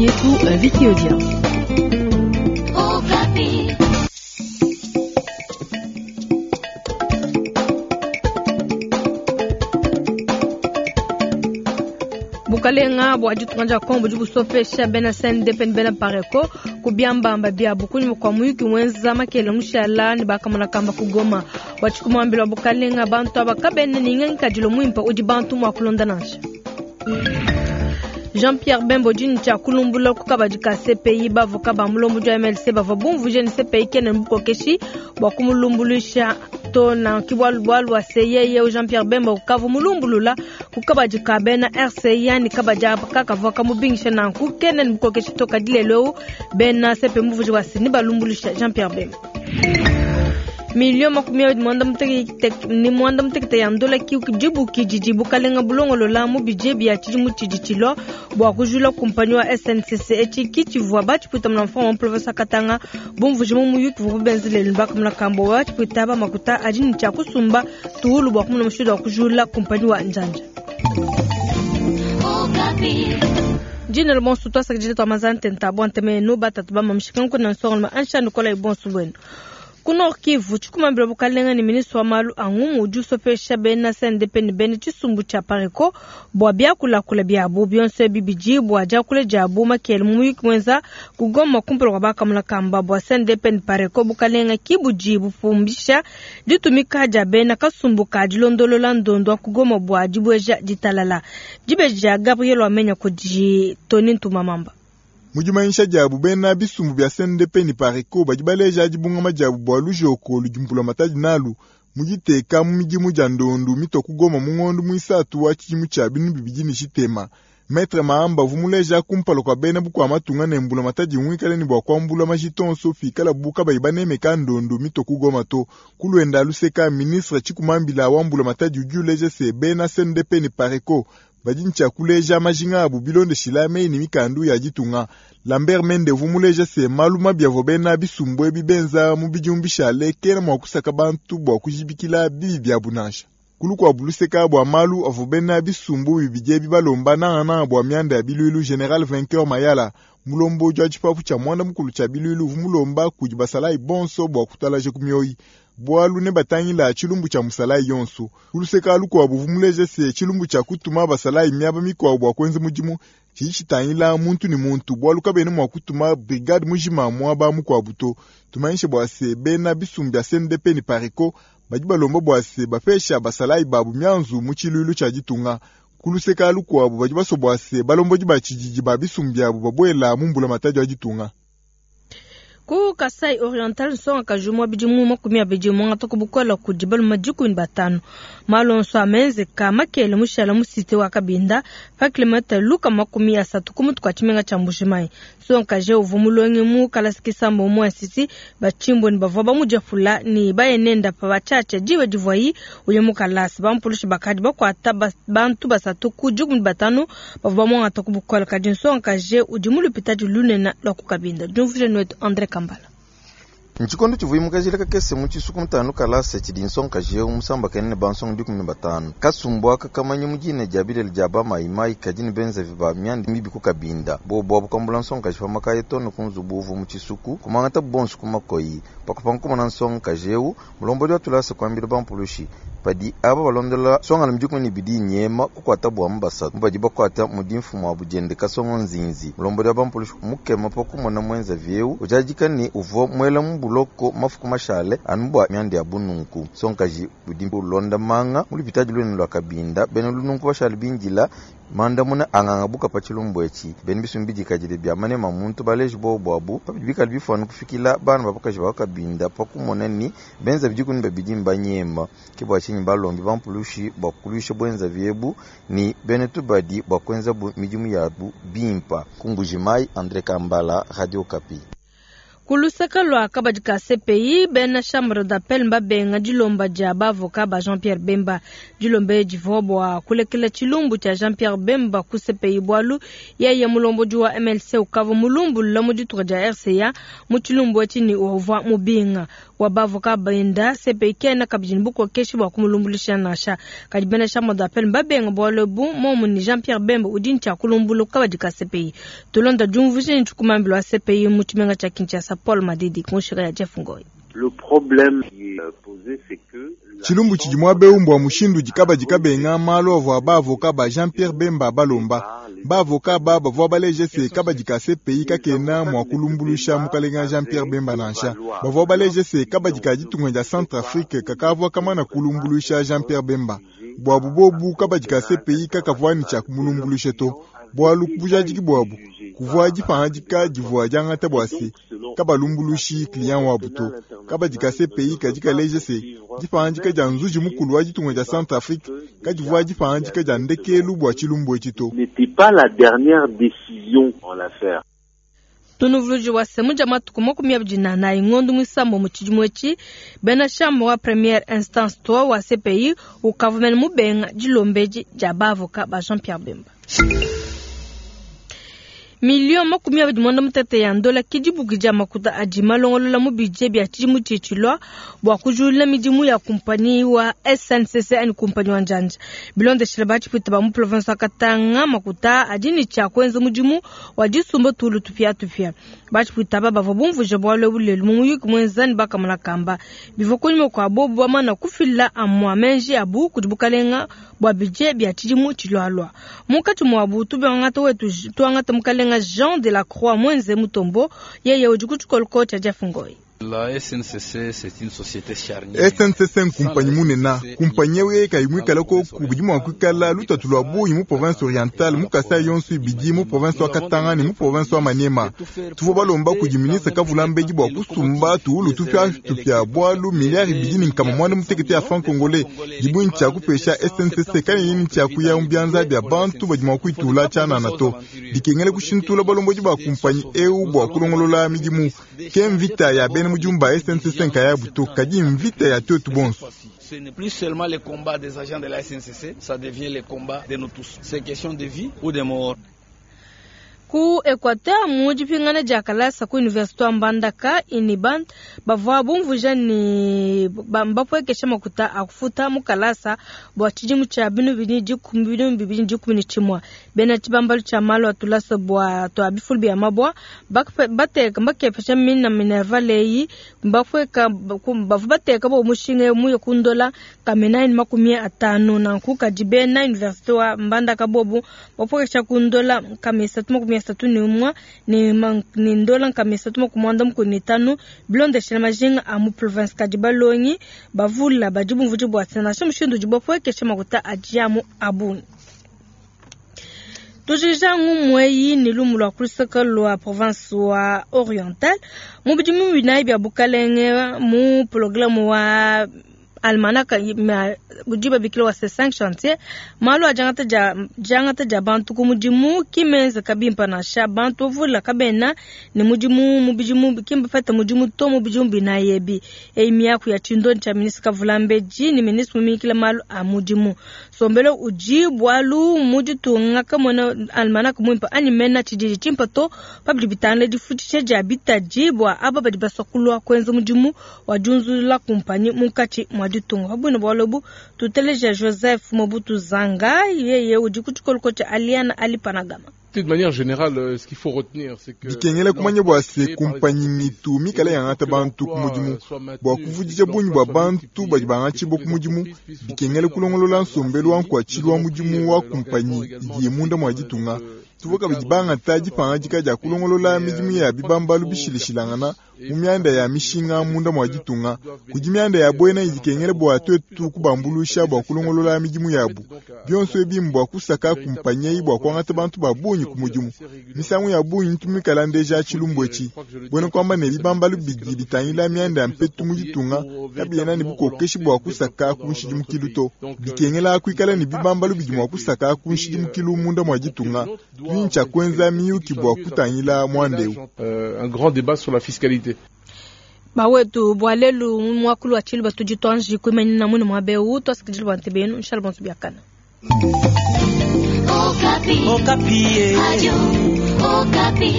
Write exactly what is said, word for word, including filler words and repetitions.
Yetu Vicky Odia. Bukalenga bua ditunga dia Kongo budi busopesha bena C N D P ne bena Pareko ku biambamba biabu kunyima kua muyuki wenza makele mushala ne bakamona kamba ku Goma. Bua tshikumambila bukalenga bantu aba kabena ne ngikadilu muimpe udi bantu mua kulonda nansha. Jean-Pierre Bemba udi ne tshia kulumbula ku kabadi ka C P I bavoka ba mulombo dia M L C bavua bumvuje ne C P I kena bukokeshi bua kumulumbuluisha to na kibwalu bwalu wa C Y E Jean-Pierre Bemba ukavu mulumbulula ku kabadi ka bena R C I yani kabadi kakavua kamubingisha nanku kena bukokeshi to kadilelo bena C P muvuje wa sini balumbulusha Jean-Pierre Bemba. Miliyo makumi abiri mwanda mutekete ni mwanda mutekete ya ndola ki jibu kijiji bukalenga bulongolola mu budget bya tshidimu tshidi bua kujula kumpanyi wa S N C C echi kitshivua batshipwita muna mfumu wa province Katanga bumvuje mu muyuki vua benzele mbaka muna kambo batshipwita ba makuta adi ne tshia kusumba tuhulu bua kumuna mushindu wa kujula kumpanyi wa njanja. Jina bonso twasakidile twa mazante ntabo nteme no batatu ba mamshika nkuna nsongo ma ansha nikola ibonso bwenu. Ku Nord Kivu, tshikumambila bukalenga ne ministre wa malu a ngumu udi usopesha bena C N D P ne bena tshisumbu tshia Pareko bua biakulakula biabu bionso ebi bidi bua diakula diabu makele mu muyuki mwenza ku Goma kumpala kua bakamuna kamba bua C N D P ne Pareko bukalenga ki budi bupumbisha ditumika dia bena kasumbu ka dilondolola ndondo wa ku Goma bua dibueja ditalala. Dibeja Gabriel Wamenya kudi Tony Ntumamamba. Mujimanyisha diabu bena bisumbu bya C N D P ni Pareko badi baleja dibungama diabu bua lujoko ludimpula matadi nalu mujiteka mu midimu dia ndondu mito ku Goma mu ngondo muisatu wa tshidimu tshia binu bibidi ne tshitema. Maître Mahamba vumuleja kumpala kua bena bukua matunga ne mbula matadi mwikale ne bua kuambula majitonso fikala buka bayi banemeka ndondu mito ku Goma to. Kulwenda luseka ministre Tshikumambila wa mbula matadi udi uleja se bena C N D P ni Pareko badi ntshia kuleja majinga abu bilondeshila meyi ne mikandu ya ditunga. Lambert Mende vumuleja se malu mabi avua bena bisumbu ebi benza mu bidimu bishale kena mua kusaka bantu bua kujibikila bibi biabu nansha. Kulu kua buluseka bua malu avua bena bisumbu bibidi ebi balomba nangananga bua mianda ya bilwilu General Vainqueur Mayala mulombo udi wa tshipapu tshia mwanda mukulu tshia bilwilu vumulomba kudi basalayi bonso bua kutalaja ku mioyi. Bwalu ne batangila tshilumbu tshia musalayi yonso. Kuluseka lukuabu vumuleja se tshilumbu tshia kutuma basalayi miaba mikuabu bua kuenza mudimu tshidi tshitangila muntu ne muntu bwalu kabena mua kutuma brigade mujima muaba mukuabu to. Tumanyishe bua se bena bisumbu bya C N D P ne Pareko badi balomba bua se bapesha basalayi babu mianzu mu tshilulu tshia ditunga. Kuluseka lukuabu badi baswa bua se balombodi ba tshididi ba bisumbu biabu babuela mu mbula matadi wa ditunga. Ku Kasai Oriental nsonga kajumwa bidimu makumi abidi mwanga kubukola kudi baluma dikumi batano. Malonso amenze ka makele mushala musite wa Kabinda pa kilomita luka makumi asatu ku mutu kwa tshimenga tshia Mbujimayi. Nsonga kaje uvu mulonge mu kalasi kisambo mu nsisi bachimbo ni bavua bamujafula ni bayenenda pa bachacha diwe divuayi uye mu kalasi bampulushi bakadi bakwata bantu basatu ku dikumi batano bavua bamwanga kubukola kadi nsonga kaje udi mulupita dilunena lwa ku Kabinda. Diumvuje nwetu André Kambala. Nchikondo chivuyimuka kakese mu chisuku mutano kalase chidi nsonga jeu musamba kenene bansonga dikumi ne batano kasumbu aka kamanyi mujine dia bilele dia ba maimai kadini benza viba myandi mibi ku Kabinda bo bo bukambula nsonga jifa makaye tono kunzubu uvu mu chisuku kumangata bonso kumakoyi pakupankumana nsonga jeu mulombo dia tulasa kwambila bampulushi padi aba balondola songa na mjukumi ni bidi nyema kukwata bwa mbasa mbadi bakwata mudimfu wa bujende kasongo nzinzi mulombo dia bampulushi mukema pakumona mwenza vyeu ujajika ni uvo mwela mbuloko mafuku mashale anubwa myandi ya bununku sonkaji budimbu londa manga mulipitaji lwenu lwa Kabinda bene lununku bashale binjila mandamuna anganga buka pa tshilumbu etshi bene bisumbi dikadile bia manema muntu baleji bo bwabu pabidi bikali bifwana kufikila bana bapakaji ba Kabinda pakumona ni benza bidikuni babidi mbanyema ke bwa tshinyi balombi bampulushi bwa kulusha bwenza vyebu ni bene tubadi bwa kwenza bu midimu yabu bimpa ku Mbujimayi. André Kambala, Radio Okapi. Ku luseke lua kabadi ka C P I, bena chambre d'appel mbabenga dilomba dia bavoka ba Jean-Pierre Bemba. Dilomba divua bua kulekela tshilumbu tshia Jean-Pierre Bemba ku C P I bualu yeye mulombodi wa M L C ukavua mulumbulula mu dituku dia R C A mu tshilumbu etshi ne uvua mubinga. Wa bavoka benda C P I kena kabidi ne bukokeshi bua kumulumbuluisha nansha. Kadi bena chambre d'appel mbabenga bualu ebu momu ni Jean-Pierre Bemba udi ntshia kulumbula kabadi ka C P I. Tulonda diumvuija ne tshikumambilo wa C P I mu tshimenga tshia Kinshasa. Paul Madidi kunshika ya Jeff Ngoy. Le problème qui est posé, c'est que tshilumbu tshidi muaba eu mbua mushindu dikaba dikabenga malu avua baavoka ba Jean-Pierre Bemba balomba. Baavoka ba bavua baleje se kabadi ka C P I kakena mua kulumbuluisha mukalenga Jean-Pierre Bemba nansha. Bavua baleje se kabadi ka ditunga dia Centrafrique kakavua kamana kulumbuluisha Jean-Pierre Bemba. Buabu bobu kabadi ka C P I kakavua ne tshia kumulumbuluisha to. Bualu bujadiki buabu kuvua dipangadika divua diangata bua se kabalumbuluishi client wabu to. Kabadi ka C P I kadi kaleje se dipangadika dia nzuji mukulu wa ditunga dia Centrafrique kadivua dipangadika dia ndekelu bua tshilumbu etshi to. N'était pas la dernière décision en l'affaire. Tunuvuluji wa semu dia matuku makumi abidi na anayi ngondo muisambo mu tshidimu etshi, bena chambre wa première instance trois wa C P I ukavua mene mubenga dilombedi dia bavoka ba Jean-Pierre Bemba. Million makumi abidi mwanda mutete ya ndola kidibuki dia makuta adi malongolola mu budget bia tshidimu tshitshilwa bua kujula midimu ya kumpanyi wa S N C C ani kumpanyi wa njanja. Bilondeshela batshipwita ba mu province wa Katanga makuta adi ne tshia kuenza mudimu wa disumba tulu tupia tupia. Batshipwita aba bavua bumvuija bualu ebu lelu mu muyuki muenza ne bakamona kamba. Bivua kunyima kua bobu bamana kufila amua menji abu kudi bukalenga bua budget bia tshidimu tshilualua. Munkatshi muabu tuangata wetu tuangata mukalenga Jean de la Croix Mwenze Mutombo yeye udi ku tshikoloko tshia Jeff Ngoy. La S N C C, c'est une société charnière. S N C C nkumpanyi munene, kumpanyi ewu yeye kayi muikale koku bidi mua kuikala lutatu lua bungi mu province orientale, mu Kasai yonso ibidi, mu province wa Katanga ne mu province wa Maniema. Tuvua balomba kudi ministre Kavula Mbedi bua kusumba tuwulu tupia tupia bualu miliari ibidi ne nkama muanda mutekete ya franc congolais dibungi tshia kupesha S N C C kanyi nini tshia kuya mu bianza bia bantu badi mua kuitula tshianana to. Dikengele kushintula balombodi ba kumpanyi ewu bua kulongolola midimu. Ke mvita ya bena mudimu ba S N C C nkayabu to, kadi mvita ya twetu bonso. Ce n'est plus seulement le combat des agents de la S N C C, ça devient le combat de nous tous. C'est question de vie ou de mort. Ku Equateur mu dipingana dia kalasa ku université wa Mbandaka Iniban bavua bumvuija ne bapuekesha makuta a kufuta mu kalasa bua tshidimu tshia binu bibidi dikumi binu bibidi dikumi ne tshimue. Bena tshibambalu tshia malu a tulasa bua tua bifulu bia mabua bateka mbakepesha mina minerval eyi mbapueka bavua bateka bo mushinga muye kundola kamena ni makumi atano nanku kadi bena université wa Mbandaka bobu bapuekesha kundola kamesa makumi asatu ne umwe ne ne ndola nkama isatu makumi muanda mukulu ne tano bilondeshela majinga a mu province kadi balongi bavula badi bumvudi bua nansha mushindu udi bapuekesha makuta adi amu abungi. Tujija ngumwe ni lumu lwa kulusaka lwa province wa oriental mu bidimu binayi bia bukalenge mu programme wa almanaka udi babikila wa C cinq chantier malu a jangata ja jangata ja bantu ku mudimu kimenza kabimpa nansha bantu vula kabena ne mudimu mu bidimu kimba fata mudimu to mu bidimu binayebi e miaku ya chindoni cha ministre Kavula Mbedi ni ministre mumikila malu a mudimu sombelo uji bwalu muditunga kamona almanaka muimpa ani mena chididi chimpa to pabidi bitangile difutisha ja bitaji bwa aba badi basokulwa kwenza mudimu wa junzula kumpanyi munkatshi mwa ditunga pabwino bwalobu tuteleja Joseph Mobutu Zanga yeye udi ku tshikoloko tshia Aliana Ali Panagama. De manière générale, ce qu'il faut retenir, c'est que dikengele kumanya bua se kumpanyi mitu mikale yangata bantu ku mudimu bua kuvudija bungi bua bantu badi bangatshibua ku mudimu dikengele kulongolola nsombelu wa nkuatshilu wa mudimu wa kumpanyi idi munda mua ditunga. Tuvua kabidi bangata dipangadika dia kulongolola midimu ya bibambalu bishilashilangana mu mianda ya mishinga munda mua ditunga kudi mianda ya buena idikengele bua twetu kubambuluisha bua kulongolola midimu yabu bionso ebi mbua kusaka kumpanyi eyi bua kuangata bantu ba bungi ku mudimu misangu ya bungi ntumikala ndeja tshilumbu etshi buena kuamba ne bibambalu bidi bitangila mianda ya mpetu mu ditunga kabiena ne bukokeshi bua kusaka ku nshidimukilu to bikengela kuikala ne bibambalu bidi mua kusaka ku nshidimukilu munda mua ditunga. Tshia kuenza miyuki bua kutangila mwandeu. Un grand débat sur la fiscalité. société. Bawetu bua lelu mu muakulu wa tshiluba tudi tuanji kuimanyina munu muaba eu tuasakidila bua ntebe yenu nshala bonso biakana. Okapi. Okapi. Radio Okapi.